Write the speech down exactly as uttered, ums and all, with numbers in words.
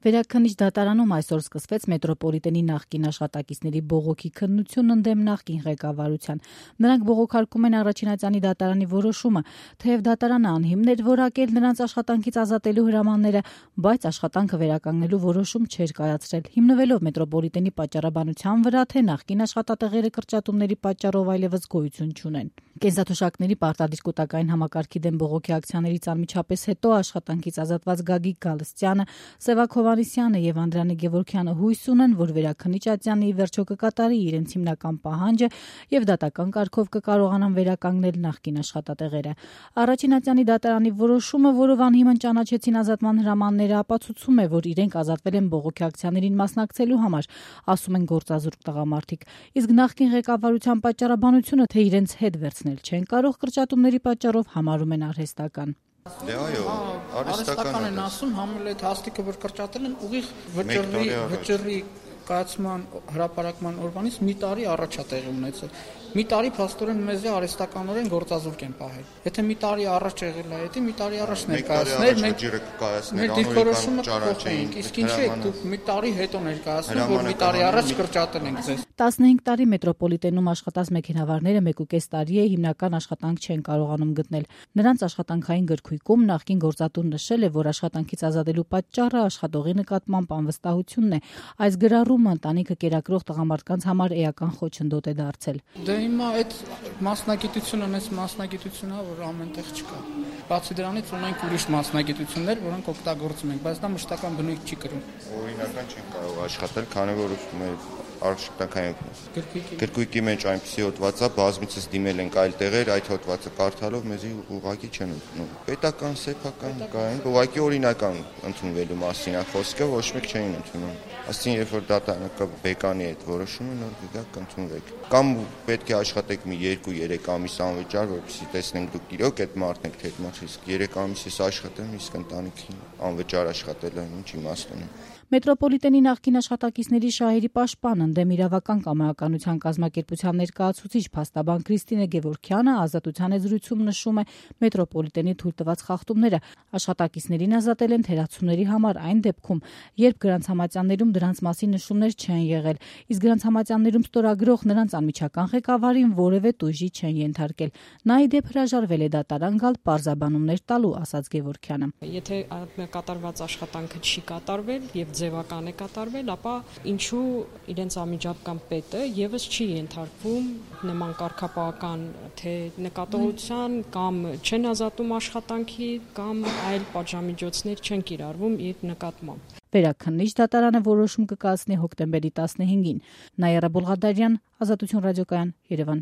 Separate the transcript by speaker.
Speaker 1: Վերաքննիչ դատարանում այսօր սկսվեց մետրոպոլիտենի նախկին աշխատակիցների բողոքի քննություն ընդդեմ նախկին ղեկավարության։ Նրանք բողոքարկում են առաջինածյանի դատարանի որոշումը, թեև դատարանը անհիմն էր որակել նրանց աշխատանքից ազատելու հրամանները, բայց աշխատանքը վերականգնելու որոշում չէր կայացրել, հիմնվելով մետրոպոլիտենի պատճառաբանության վրա, թե նախկին աշխատատեղերը կրճատումների պատճառով այլևս գոյություն չունեն։ Կենսաթոշակների պարտադիր կൂട്ടակային համակարգի դեմ բողոքի ակցիաներից անմիջապես հետո աշխատանքից ազատված Գագիկ Գալստյանը, Սևակ Հովհաննիսյանը եւ Անդրանիկ Գևորգյանը հույս ունեն, որ վերաքննիչ ատյանը ի վերջո կկատարի իրենց հիմնական պահանջը եւ դատական կարգով կկարողանան վերականգնել նախկին աշխատատեղերը։ Առաջին ատյանի դատարանի որոշումը, որով անհիմն ճանաչեցին ազատման հրամանները, ապացուցում է, որ իրենք ազատվել են բողոքի ակցիաներին մասնակցելու համար, ասում են գործազուրկ տղամարդիկ։ Իսկ նախկին ղեկավարության պատճառաբանությունը, թե իրենց հետ վերցնել չեն կարող կրճատումների պատճառով, համարում են արհեստական։
Speaker 2: Դե այո, արհեստական
Speaker 3: են ասում, համել այդ հաստիկը որ կրճատել են ուղիղ վճռի վճռի կայացման հրապարակման օրվանից մի տարի առաջ է տեղի ունեցել։ Մի տարի փաստորեն մեզ արհեստականորեն գործազուրկ են պահել։ Եթե մի տարի առաջ եղել է, դա մի տարի առաջ ներկայացնել, մենք մեր դիրքորոշումը կփոխենք։ Իսկ ինչի՞ եք դուք մի տարի հետո ներկայացնում, որ մի տարի առաջ կրճատել ենք ձեզ։
Speaker 1: տասնհինգ տարի մետրոպոլիտենում աշխատած մեքենավարները մեկուկես տարի է հիմնական աշխատանք չեն կարողանում գտնել։ Նրանց աշխատանքային գրքույկում նախկին գործատուն նշել է, որ աշխատանքից ազատելու պատճառը աշխատողի նկատմամբ անվստահությունն է։ Այս գրառումը ընտանիքը կերակրող տղամարդկանց համար էական խոչընդոտ է դարձել։
Speaker 3: Դե հիմա այդ մասնագիտությունը մեծ մասնագիտություն է, որ ամենտեղ չկա։ Բացի դրանից ունենք ուրիշ մասնագիտություններ, որոնք օգտագործում ենք, բայց դա մշտական բնույթ չի կրում։
Speaker 2: Օրինական չեն կարող աշխատել, քանի որ մեր աշխատանքային գրքույկի մեջ այնպիսի հոդված է, բազմիցս դիմել ենք այլ տեղեր, այդ հոդվածը կարդալով մեզի ուղղակի չեն ընդունում։ Պետական, սեփական կային, ուղղակի օրինական ընդունվելու մասին է խոսքը, ոչ մեկ չէին ընդունում։ Այսինքն, երբ որ դատարանը բեկանի այդ որոշումը, նոր գիտակ ընդունվեք։ Կամ պետք է աշխատեք մի երկու երեք ամիս անվճար, որպեսզի տեսնենք դուք իրոք այդ մարդն եք, թե ոչ, իսկ երեք ամիս ես աշխատեմ, իսկ ընտանիքին անվճար աշխատելը ինչ իմաստ ունի։
Speaker 1: Մետրոպոլիտենի նախկին աշխատակիցների շահերի պաշտպան ընդդեմ իրավական կամայականության կազմակերպության ներկայացուցիչ փաստաբան Քրիստինե Գևորգյանը ազատության զրույցում նշում է մետրոպոլիտենի թույլտված խախտումները աշխատակիցներին ազատել են թերացումների համար այն դեպքում, երբ գրանցամատյաններում դրանց մասին նշումներ չեն եղել, իսկ գրանցամատյաններում ստորագրող նրանց անմիջական ղեկավարին որևէ տույժի չեն ենթարկել։ Նա ի դեպ հրաժարվել է դատարան գալ պարզաբանումներ տալու, ասաց Գևորգյանը։
Speaker 4: Եթե կատարված աշխատանքը չի կատարվել եւ ձևական է կատարվել, ապա ինչու իրենց անմիջական պետը եւս չի ենթարկվում նման կարգապահական թե նկատողության կամ չեն ազատում աշխատանքի կամ այլ պատժամիջոցներ չեն կիրառվում իր նկատմամբ։
Speaker 1: Վերաքննիչ դատարանը որոշում կկայացնի հոկտեմբերի տասնհինգին։ Նաիրա Բոլղադարյան, Ազատություն ռադիոկայան, Երևան։